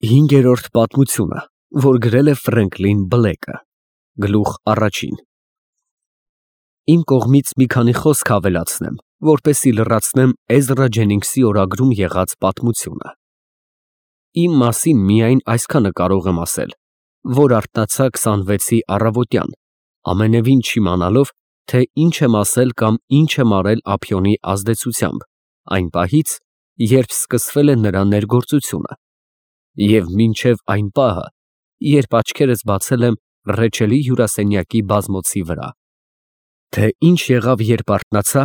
Հինգերորդ պատմությունը, որ գրել է Ֆրենկլին Բլեքը, գլուխ առաջին։ Իմ կողմից մի քանի խոսք ավելացնեմ, որպեսզի լրացնեմ Էզրա Ջենինգսի օրագրում եղած պատմությունը։ Իմ մասին միայն այսքանը կարող եմ ասել, որ արթնացա 26-ի առավոտյան, ամենևին չիմանալով, թե ինչ եմ ասել կամ ինչ եմ արել ափիոնի ազդեցությամբ, այն պահից, երբ սկսվել է նրա ներգործությունը, և մինչև այն պահը, երբ աչքերս բացել եմ Ռեչելի հյուրասենյակի բազմոցի վրա։ Թե ինչ եղավ, երբ արթնացա,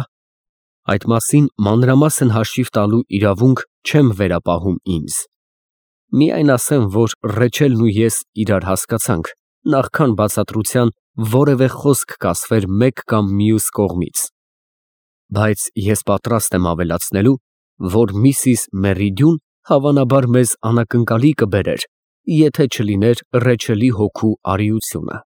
այդ մասին մանրամասն հաշիվ տալու իրավունք չեմ վերապահում ինձ։ Միայն ասեմ, որ Ռեչելն ու ես իրար հասկացանք, նախքան բացատրության որևէ խոսք կասվեր մեկ կամ մյուս կողմից։ Բայց ես պատրաստ եմ ավելացնելու, որ Միսիս Մերիդյուն հավանաբար մեզ անակնկալի կբերեր, եթե չլիներ Ռեչելի հոգու արիությունը։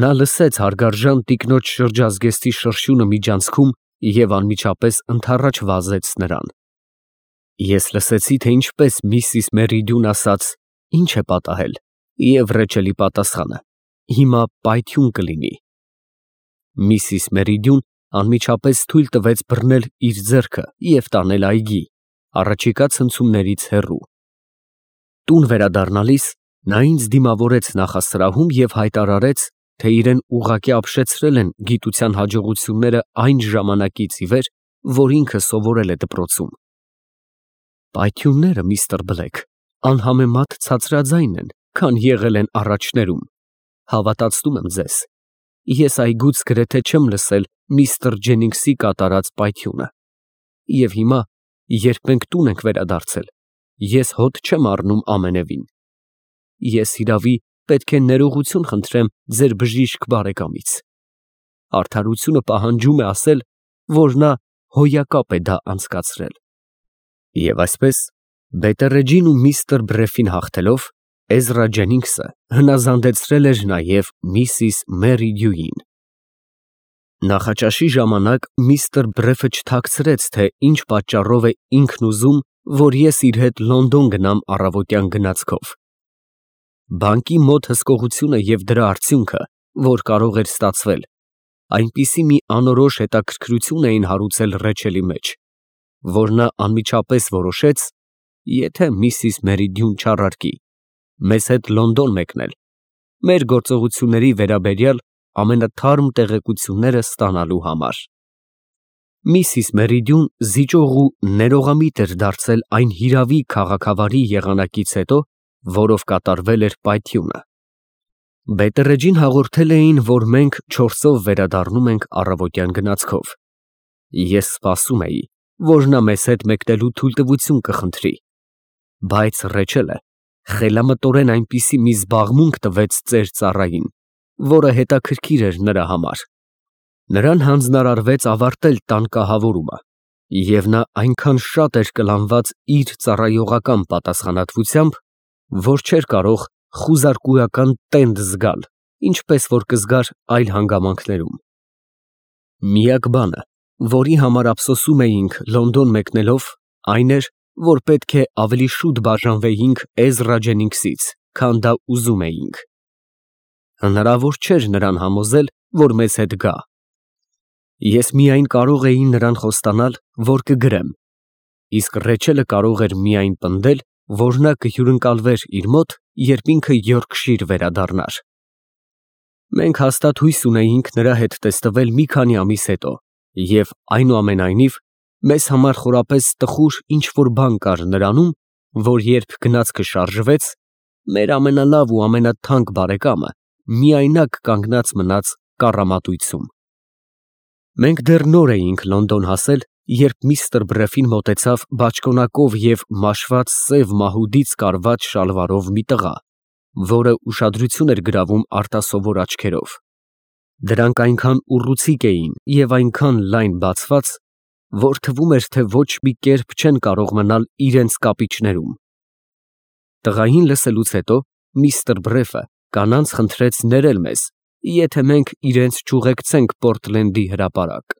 Նա լսեց հարգարժան տիկնոջ շրջազգեստի շրշյունը միջանցքում և անմիջապես ընդառաջ վազեց նրան։ Ես լսեցի, թե ինչպես Միսիս Մերիդյուն ասաց. «Ինչ է պատահել», և Ռեչելի պատասխանը. «Հիմա պայթյուն կլինի»։ Միսիս Մերիդյուն անմիջապես թույլ տվեց բռնել իր ձեռքը և տանել այգի, առաջիկա ցնցումներից հեռու։ Տուն վերադառնալիս նա ինձ դիմավորեց նախասրահում և հայտարարեց, թե իրեն ուղղակի ապշեցրել են գիտության հաջողությունները այն ժամանակից ի վեր, որ ինքը սովորել է դպրոցում։ Պայթյունները, միստր Բլեք, անհամեմատ ցածրաձայն են, քան եղել են առաջներում, հավատացնում եմ ձեզ։ Ես այգուց գրեթե չեմ լսել միստր Ջենինգսի կատարած պայթյունը։ Եվ հիմա, երբ մենք տուն ենք վերադարձել, ես հոտ չեմ առնում ամենևին։ Ես հիրավի պետք է ներողություն խնդրեմ ձեր բժիշկ բարեկամից։ Արդարությունը պահանջում է ասել, որ նա հոյակապ է դա անցկացրել։ Եվ այսպես, Բետերեջին ու միստր Բրեֆին հաղթելով, Էզրա Ջենինգսը հնազանդեցրել էր նաև Միսիս Մերիդյուին։ Նախաճաշի ժամանակ միստր Բրեֆը չթաքցրեց, թե ինչ պատճառով է ինքն ուզում, որ ես իր հետ Լոնդոն գնամ առավոտյան գնացքով։ Բանկի մոտ հսկողությունը և դրա արդյունքը, որ կարող էր ստացվել, այնպիսի մի անորոշ հետաքրքրություն էին հարուցել Ռեչելի մեջ, որ նա անմիջապես որոշեց, եթե Միսիս Մերիդյուն չառարկի, մեզ հետ Լոնդոն մեկնել, մեր գործողությունների վերաբերյալ ամենաթարմ տեղեկությունները ստանալու համար։ Միսիս Մերիդյուն զիջող ու ներողամիտ էր դարձել այն հիրավի քաղաքավարի եղանակից հետո, որով կատարվել էր պայթյունը։ Բետերեջին հաղորդել էին, որ մենք 4-ով վերադառնում ենք առավոտյան գնացքով։ Ես սպասում էի, որ նա մեզ հետ մեկնելու թույլտվություն կխնդրի, բայց Ռեչելը խելամտորեն այնպիսի մի զբաղմունք տվեց ծեր ծառային, որը հետաքրքիր էր նրա համար։ Նրան հանձնարարվեց ավարտել տան կահավորումը, և նա այնքան շատ էր կլանված իր ծառայողական պատասխանատվությամբ, որ չէր կարող խուզարկուական տենդ զգալ, ինչպես որ կզգար այլ հանգամանքներում։ Միակ բանը, որի համար ափսոսում էինք Լոնդոն մեկնելով, այն էր, որ պետք է ավելի շուտ բաժանվեինք Էզրա Ջենինգսից, քան դա ուզում էինք։ Հնարավոր չէր նրան համոզել, որ մեզ հետ գա։ Ես միայն կարող էի նրան խոստանալ, որ կգրեմ, իսկ Ռեչելը կարող էր միայն պնդել, որ նա կհյուրընկալվեր իր մոտ, երբ ինքը Յորքշիր վերադառնար։ Մենք հաստատ հույս ունեինք նրա հետ տեսնվել մի քանի ամիս հետո, և այնուամենայնիվ, մեզ համար խորապես տխուր ինչ֊որ բան կար նրանում, որ երբ գնացքը շարժվեց, մեր ամենալավ ու ամենաթանկ բարեկամը միայնակ կանգնած մնաց կառամատույցում։ Մենք դեռ նոր էինք Լոնդոն հասել, երբ միստր Բրեֆին մոտեցավ բաճկոնակով և մաշված սև մահուդից կարված շալվարով մի տղա, որը ուշադրություն էր գրավում արտասովոր աչքերով։ Դրանք այնքան ուռուցիկ էին և այնքան լայն բացված, որ թվում էր, թե ոչ մի կերպ չեն կարող մնալ իրենց կապիճներում։ Տղային լսելուց հետո միստր Բրեֆը կանանց խնդրեց ներել մեզ, եթե մենք իրենց չուղեկցենք Պորտլենդի հրապարակ։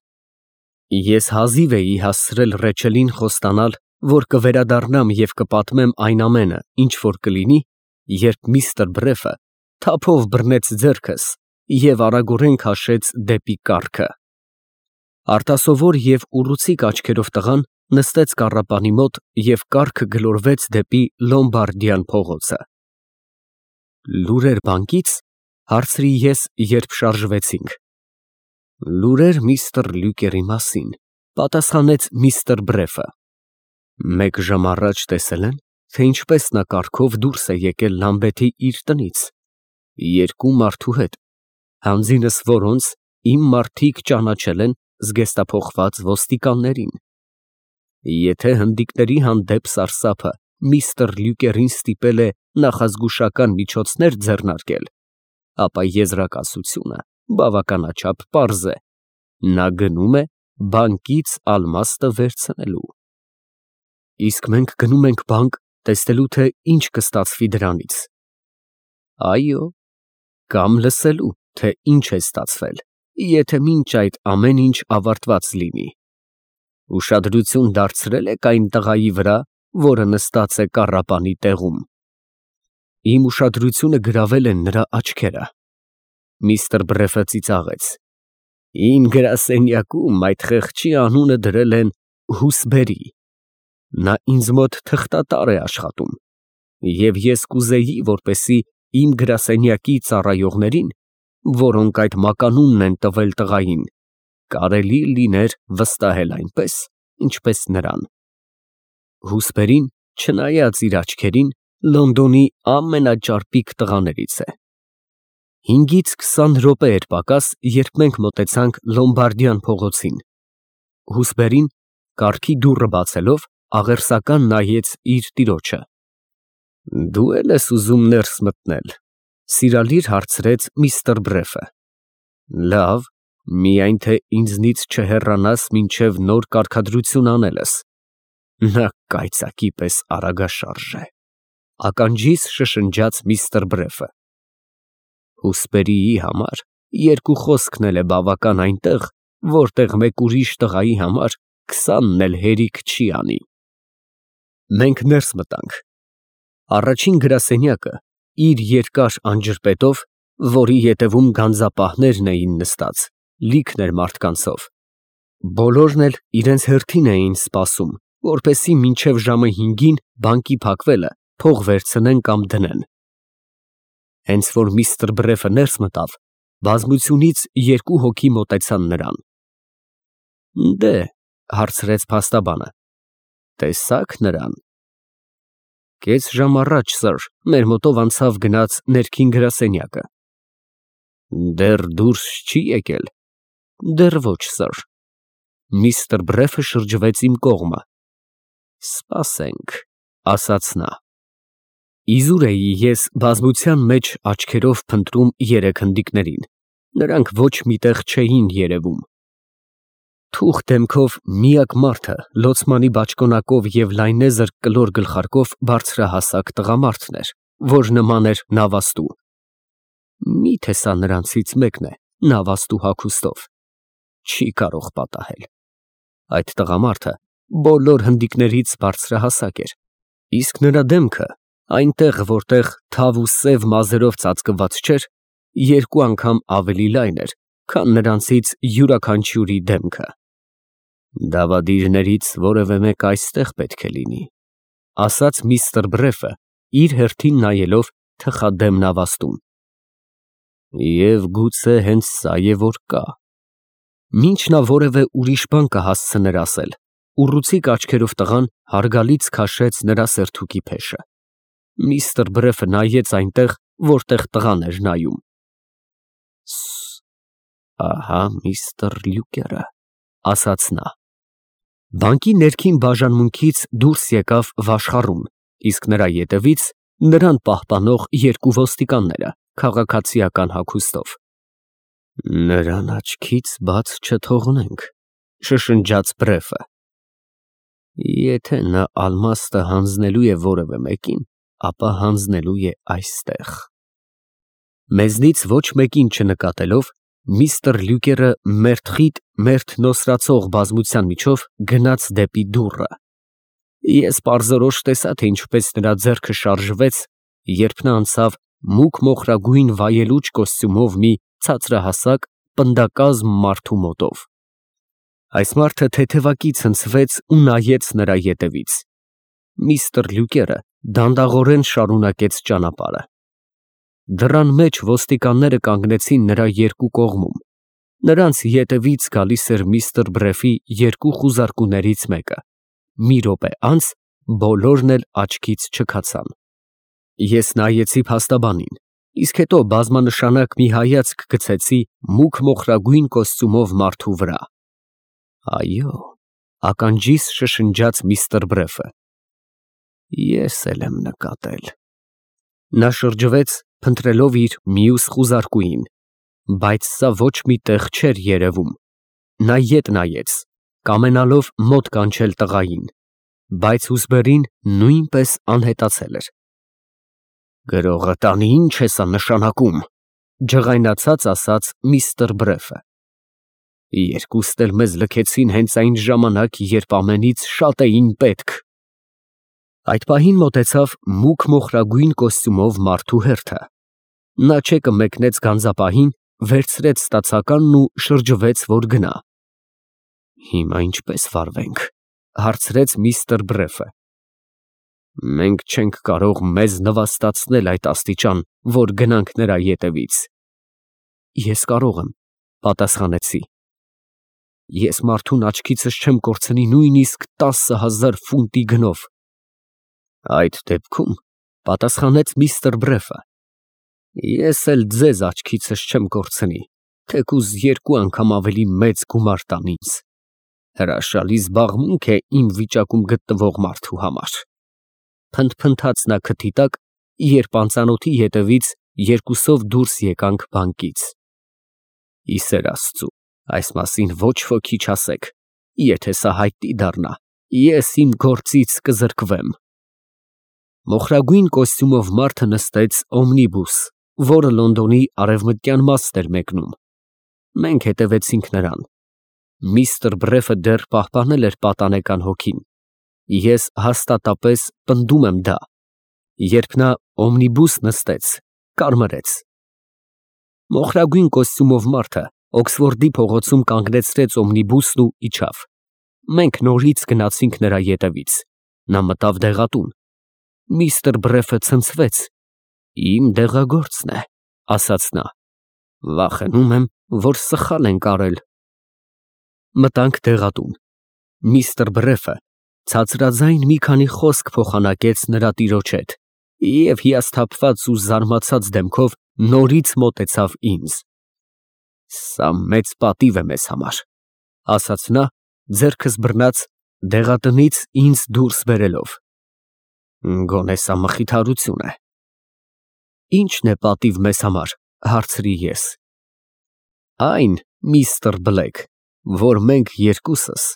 Ես հազիվ էի հասցրել Ռեչելին խոստանալ, որ կվերադառնամ և կպատմեմ այն ամենը, ինչ որ կլինի, երբ միստր Բրեֆը թափով բռնեց ձեռքս և արագորեն քաշեց դեպի կառքը։ Արտասովոր և ուռուցիկ աչքերով տղան նստեց կառապանի մոտ և կառքը գլորվեց դեպի Լոմբարդյան փողոցը։ Լուրեր բանկից, հարցրի ես, երբ շարժվեցինք։ Լուրեր միստր Լյուկերի մասին, պատասխանեց միստր Բրեֆը։ Մեկ ժամ առաջ տեսել են, թե ինչպես նա կառքով դուրս է եկել Լամբեթի իր տնից, երկու մարդու հետ, հանձինս որոնց իմ մարդիկ ճանաչել են զգեստափոխված ոստիկաններին։ Եթե հնդիկների հանդեպ սարսափը միստր Լյուկերին ստիպել է նախազգուշական միջոցներ ձեռնարկել, ապա եզրակացությունը բավականաչափ պարզ է. նա գնում է բանկից ալմաստը վերցնելու։ Իսկ մենք գնում ենք բանկ տեսնելու, թե ինչ կստացվի դրանից։ Այո, կամ լսելու, թե ինչ է ստացվել, եթե մինչ այդ ամեն ինչ ավարտված լինի։ Ուշադրություն դարձրե՞լ եք այն տղայի վրա, որը նստած է կառապանի տեղում։ Իմ ուշադրությունը գրավել են նրա աչքերը։ Միստր Բրեֆը ծիծաղեց։ Իմ գրասենյակում այդ խեղճի անունը դրել են Հուսբերի։ Նա ինձ մոտ թղթատար է աշխատում, և ես կուզեի, որպեսզի իմ գրասենյակի ծառայողներին, որոնք այդ մականունն են տվել տղային, կարելի լիներ վստահել այնպես, ինչպես նրան։ Հուսբերին, չնայած իր աչքերին, Լոնդոնի ամենաճարպիկ տղաներից է։ 5-ից 20 րոպե էր պակաս, երբ մենք մոտեցանք Լոմբարդյան փողոցին։ Հուսբերին, կառքի դուռը բացելով, աղերսական նայեց իր տիրոջը։ Դու էլ ես ուզում ներս մտնել, սիրալիր հարցրեց միստր Բրեֆը։ Լավ, միայն թե ինձնից չհեռանաս մինչև նոր կարգադրություն անելս։ Նա կայծակի պես արագաշարժ է, ականջիս շշնջաց միստր Բրեֆը։ Հուսբերիի համար երկու խոսքն էլ է բավական այնտեղ, որտեղ մեկ ուրիշ տղայի համար 20-ն էլ հերիք չի անի։ Մենք ներս մտանք։ Առաջին գրասենյակը իր երկար անջրպետով, որի ետևում գանձապահներն էին նստած, լիքն էր մարդկանցով։ Բոլորն էլ իրենց հերթին էին սպասում, որպեսզի մինչև ժամը 5-ին բանկի փակվելը փող վերցնեն կամ դնեն։ Հենց որ միստր Բրեֆը ներս մտավ, բազմությունից երկու հոգի մոտեցան նրան։ Դե, հարցրեց փաստաբանը, տեսա՞ք նրան։ Կես ժամ առաջ, սըր, մեր մոտով անցավ գնաց ներքին գրասենյակը։ Դեռ դուրս չի եկել։ Դեռ ոչ, սըր։ Միստր Բրեֆը շրջվեց իմ կողմը։ Սպասենք, ասաց նա։ Իզուր էի ես բազմության մեջ աչքերով փնտրում երեք հնդիկներին, նրանք ոչ միտեղ չէին երևում։ Թուխ դեմքով միակ մարդը լոցմանի բաճկոնակով և լայնեզր կլոր գլխարկով բարձրահասակ տղամարդն էր, որ նման էր նավաստու։ Միթե սա նրանցից մեկն է, նավաստու հագուստով։ Չի կարող պատահել։ Այդ տղամարդը բոլոր հնդիկներից բարձրահասակ էր, իսկ նրա դեմքը այնտեղ, որտեղ թավ ու սև մազերով ծածկված չէր, երկու անգամ ավելի լայն էր, քան նրանցից յուրաքանչյուրի դեմքը։ Դավադիրներից որևէ մեկ այստեղ պետք է լինի, ասաց միստր Բրեֆը, իր հերթին նայելով թխադեմ նավաստուն։ Եվ գուցե հենց սա է, որ կա։ Մինչ նա որևէ ուրիշ բան կհասցներ ասել, ուռուցիկ աչքերով տղան հարգալից քաշեց նրա սերթուկի փեշը։ Միստր Բրեֆը նայեց այնտեղ, որտեղ տղան էր նայում։ Ահա միստր Լյուկերը, ասաց նա։ Բանկի ներքին բաժանմունքից դուրս եկավ վաշխառուն, իսկ նրա ետևից նրան պահպանող երկու ոստիկանները քաղաքացիական հագուստով։ Նրան աչքից բաց չթողնենք, շշնջաց Բրեֆը։ Եթե նա ալմաստը հանձնելու է որևէ մեկին, ապա հանձնելու է այստեղ։ Մեզնից ոչ մեկին չնկատելով, միստր Լյուկերը մերթխիտ, մերթ նոսրացող բազմության միջով գնաց դեպի դուռը։ Ես պարզորոշ տեսա, թե ինչպես նրա ձեռքը շարժվեց, երբ նա անցավ մուգ մոխրագույն վայելուչ կոստյումով մի ցածրահասակ պնդակազմ մարդու մոտով։ Այս մարդը թեթևակի ցնցվեց ու նայեց նրա ետևից։ Միստր Լյուկերը դանդաղորեն շարունակեց ճանապարհը։ Դռան մեջ ոստիկանները կանգնեցին նրա երկու կողմում։ Նրանց ետևից գալիս էր միստր Բրեֆի երկու խուզարկուներից մեկը։ Մի րոպե անց բոլորն էլ աչքից չքացան։ Ես նայեցի փաստաբանին, իսկ հետո բազմանշանակ մի հայացք գցեցի մուգ մոխրագույն կոստյումով մարդու վրա։ Այո, ականջիս շշնջաց միստր Բրեֆը։ Ես էլ եմ նկատել։ Նա շրջվեց, փնտրելով իր մյուս խուզարկուին, բայց սա ոչ մի տեղ չէր երևում։ Նա ետ նայեց, կամենալով մոտ կանչել տղային, բայց հուզբերին նույնպես անհետացել էր։ Գրողը տանի ինչ է սա նշանակում, ջղայնացած ասաց միստր Բրեֆը։ Երկուստ էլ մեզ լքեցին հենց այն ժամանակ, երբ ամենից շատ էին պետք։ Այդ պահին մոտեցավ մուգ մոխրագույն կոստյումով մարդու հերթը։ Նա չեկը մեկնեց գանձապահին, վերցրեց ստացականն ու շրջվեց, որ գնա։ Հիմա ինչպես վարվենք, հարցրեց միստր Բրեֆը։ Մենք չենք կարող մեզ նվաստացնել այդ աստիճան, որ գնանք նրա ետևից։ Ես կարող եմ, պատասխանեցի։ Ես մարդուն աչքիցս չեմ կորցնի նույնիսկ 10,000 ֆունտի գնով։ Այդ դեպքում, պատասխանեց միստր Բրեֆը, ես էլ ձեզ աչքիցս չեմ կորցնի, թեկուզ 2 անգամ ավելի մեծ գումար տան ինձ։ Հրաշալի զբաղմունք է իմ վիճակում գտնվող մարդու համար։ Փնթփնթաց նա քթի տակ, երբ անծանոթի ետևից երկուսով դուրս եկանք բանկից։ Ի սեր Աստծու, այս մասին ոչ ոքի չասեք, եթե սա հայտնի դառնա, ես իմ գործից կզրկվեմ։ Մոխրագույն կոստյումով մարդը նստեց օմնիբուս, որը Լոնդոնի արևմտյան մասն էր մեկնում։ Մենք հետևեցինք նրան։ Միստր Բրեֆը դեռ պահպանել էր պատանեկան հոգին։ Ես հաստատապես պնդում եմ դա։ Երբ նա օմնիբուս նստեց, կարմրեց։ Մոխրագույն կոստյումով մարդը Օքսֆորդի փողոցում կանգնեցրեց օմնիբուսն ու իջավ։ Մենք նորից գնացինք նրա ետևից։ Նա մտավ դեղատուն։ Միստր Բրեֆը ցնցվեց։ Իմ դեղագործն է, ասաց նա։ Վախենում եմ, որ սխալ ենք արել։ Մտանք դեղատուն։ Միստր Բրեֆը ցածրաձայն մի քանի խոսք փոխանակեց նրա տիրոջ հետ և հիասթափված ու զարմացած դեմքով նորից մոտեցավ ինձ։ Սա մեծ պատիվ է մեզ համար, ասաց նա, ձեռքս բռնած դեղատնից ինձ դուրս բերելով։ Գոնե սա մխիթարություն է։ Ի՞նչն է պատիվ մեզ համար, հարցրի ես։ Այն, միստր Բլեկ, որ մենք երկուսս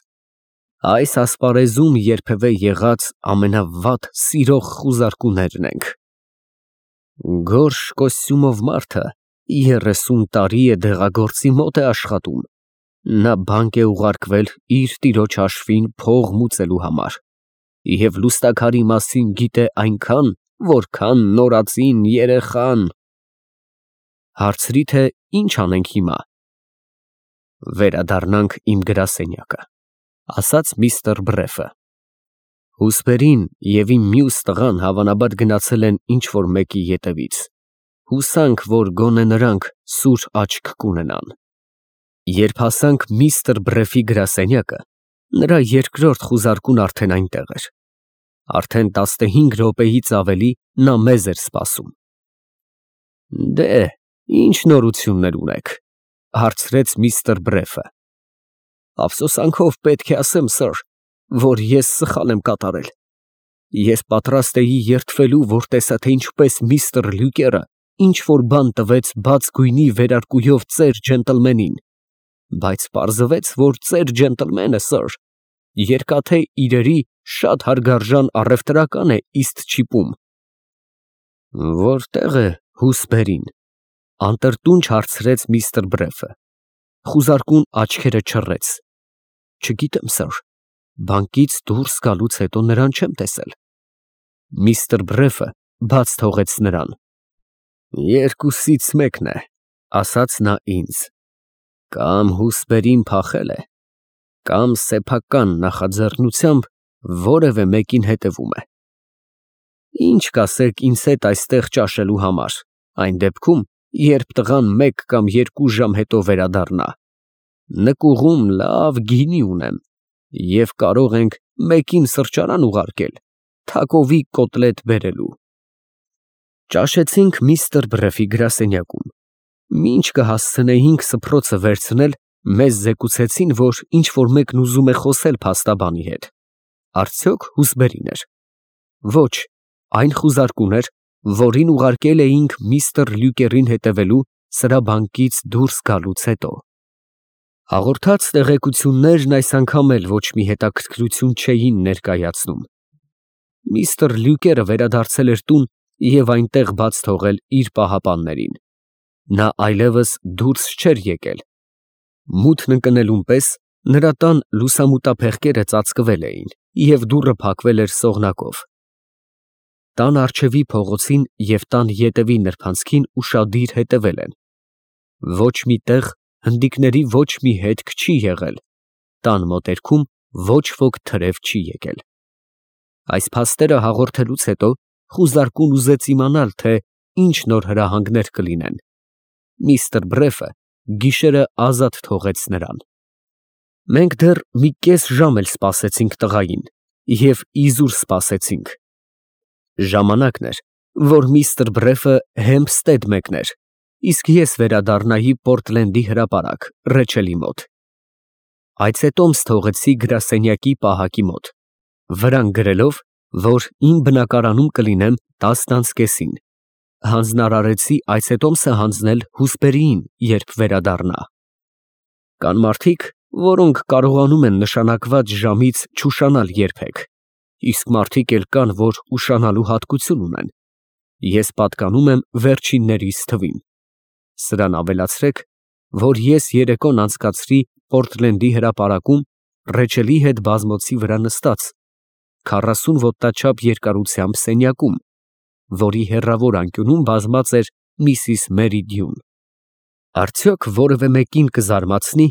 այս ասպարեզում երբևէ եղած ամենավատ սիրող խուզարկուներն ենք։ Գորշ կոստյումով մարդը 30 տարի է դեղագործի մոտ է աշխատում։ Նա բանկ է ուղարկվել իր տիրոջ հաշվին փող մուծելու համար և լուստաքարի մասին գիտե այնքան, որքան նորածին երեխան։ Հարցրի, թե ինչ անենք հիմա։ Վերադառնանք իմ գրասենյակը, ասաց միստր Բրեֆը։ Հուսպերին և իմ մյուս տղան հավանաբար գնացել են ինչ-որ մեկի ետևից։ Հուսանք, որ գոնե նրանք սուր աչք կունենան։ Երբ հասանք միստր Բրեֆի գրասենյակը, նրա երկրորդ խուզարկուն արդեն այնտեղ էր։ Արդեն 15 րոպեից ավելի նա մեզ էր սպասում։ Դե, ինչ նորություններ ունեք, հարցրեց միստր Բրեֆը։ Ափսոսանքով պետք է ասեմ, սըր, որ ես սխալ եմ կատարել։ Ես պատրաստ էի երդվելու, որ տեսա, թե ինչպես միստր Լյուկերը ինչ-որ բան տվեց բաց գույնի վերարկուով ծեր ջենտլմենին, բայց պարզվեց, որ ծեր ջենտլմենը, սըր, երկաթե իրերի շատ հարգարժան առևտրական է իստ չիպում։ Որտե՞ղ է Հուսբերին, անտրտունջ հարցրեց միստր Բրեֆը։ Խուզարկուն աչքերը չռեց։ Չգիտեմ, սըր, Բանկից դուրս գալուց հետո նրան չեմ տեսել։ Միստր Բրեֆը բաց թողեց նրան։ Երկուսից մեկն է, ասաց նա ինձ, կամ հուսպերին փախել է, կամ սեփական նախաձեռնությամբ որևէ մեկին հետևում է։ Ինչ կասեք ինձ հետ այստեղ ճաշելու համար, այն դեպքում, երբ տղան 1 կամ 2 ժամ հետո վերադառնա։ Նկուղում լավ գինի ունեմ և կարող ենք մեկին սրճարան ուղարկել, թակովի կոտլետ բերելու։ Ճաշեցինք միստր Բրեֆի գրասենյակում։ Մինչ կհասցնեինք սփռոցը վերցնել, մեզ զեկուցեցին, որ ինչ֊որ մեկն ուզում է խոսել փաստաբանի հետ։ Արդյոք հուսբերին էր։ Ոչ, այն խուզարկուն էր, որին ուղարկել էինք միստր Լյուկերին հետևելու սրա բանկից դուրս գալուց հետո։ Հաղորդած տեղեկություններն այս անգամ էլ ոչ մի հետաքրքրություն չէին ներկայացնում։ Միստր Լյուկերը վերադարձել էր տուն և այնտեղ բաց թողել իր պահապաններին։ Նա այլևս դուրս չէր եկել։ Մութն ընկնելուն պես նրա տան լուսամուտափեղկերը ծածկվել էին և դուռը փակվել էր սողնակով։ Տան առջևի փողոցին և տան ետևի նրբանցքին ուշադիր հետևել են։ Ոչ մի տեղ հնդիկների ոչ մի հետք չի եղել, տան մոտերքում ոչ ոք թրև չի եկել։ Այս փաստերը հաղորդելուց հետո խուզարկուն ուզեց իմանալ, թե ինչ նոր հրահանգներ կլինեն։ Միստր Բրեֆը գիշերը ազատ թողեց նրան։ Մենք դեռ մի կես ժամ էլ սպասեցինք տղային և իզուր սպասեցինք։ Ժամանակն էր, որ միստր Բրեֆը Հեմփստեդ մեկներ, իսկ ես վերադառնայի Պորտլենդի հրապարակ, Ռեչելի մոտ։ Այցետոմս թողեցի գրասենյակի պահակի մոտ, վրան գրելով, որ իմ բնակարանում կլինեմ 10:30-ին։ Հանձնարարեցի այցետոմսը հանձնել հուսպերիին, երբ վերադառնա։ Կան մարդիկ, որոնք կարողանում են նշանակված ժամից չուշանալ երբեք, իսկ մարդիկ էլ կան, որ ուշանալու հատկություն ունեն։ Ես պատկանում եմ վերջիններիս թվին։ Սրան ավելացրեք, որ ես երեկոն անցկացրի Պորտլենդի հրապարակում Ռեչելի հետ բազմոցի վրա նստած 40 ոտնաչափ երկարությամբ սենյակում, որի հեռավոր անկյունում բազմած էր միսիս Մերի Դյուն։ Արդյոք որևէ մեկին կզարմացնի,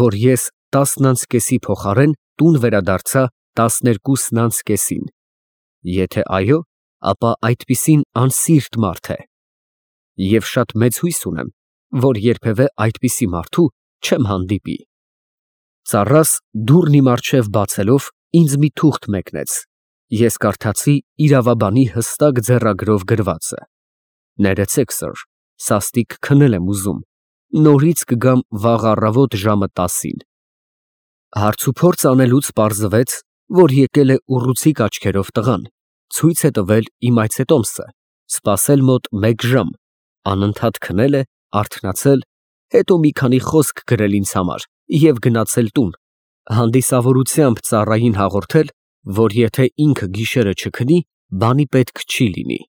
որ ես 10:30-ի փոխարեն տուն վերադարձա 12:30-ին։ Եթե այո, ապա այդպիսին անսիրտ մարդ է։ Եվ շատ մեծ հույս ունեմ, որ երբևէ այդպիսի մարդու չեմ հանդիպի։ Ծառաս դուռն իմ առջև բացելով ինձ մի թուղթ մեկնեց։ Ես կարդացի իրավաբանի հստակ ձեռագրով գրվածը. Ներեցեք, սըր, սաստիկ քնել եմ ուզում, նորից կգամ վաղ առավոտ ժամը 10-ին։ Հարց ու փորձ անելուց պարզվեց, որ եկել է ուռուցիկ աչքերով տղան, ցույց է տվել իմ այցետոմսը, սպասել մոտ 1 ժամ, անընդհատ քնել է, արթնացել, հետո մի քանի խոսք գրել ինձ համար և գնացել տուն, հանդիսավորությամբ ծառային հաղորդել, որ եթե ինքը գիշերը չքնի, բանի պետք չի լինի։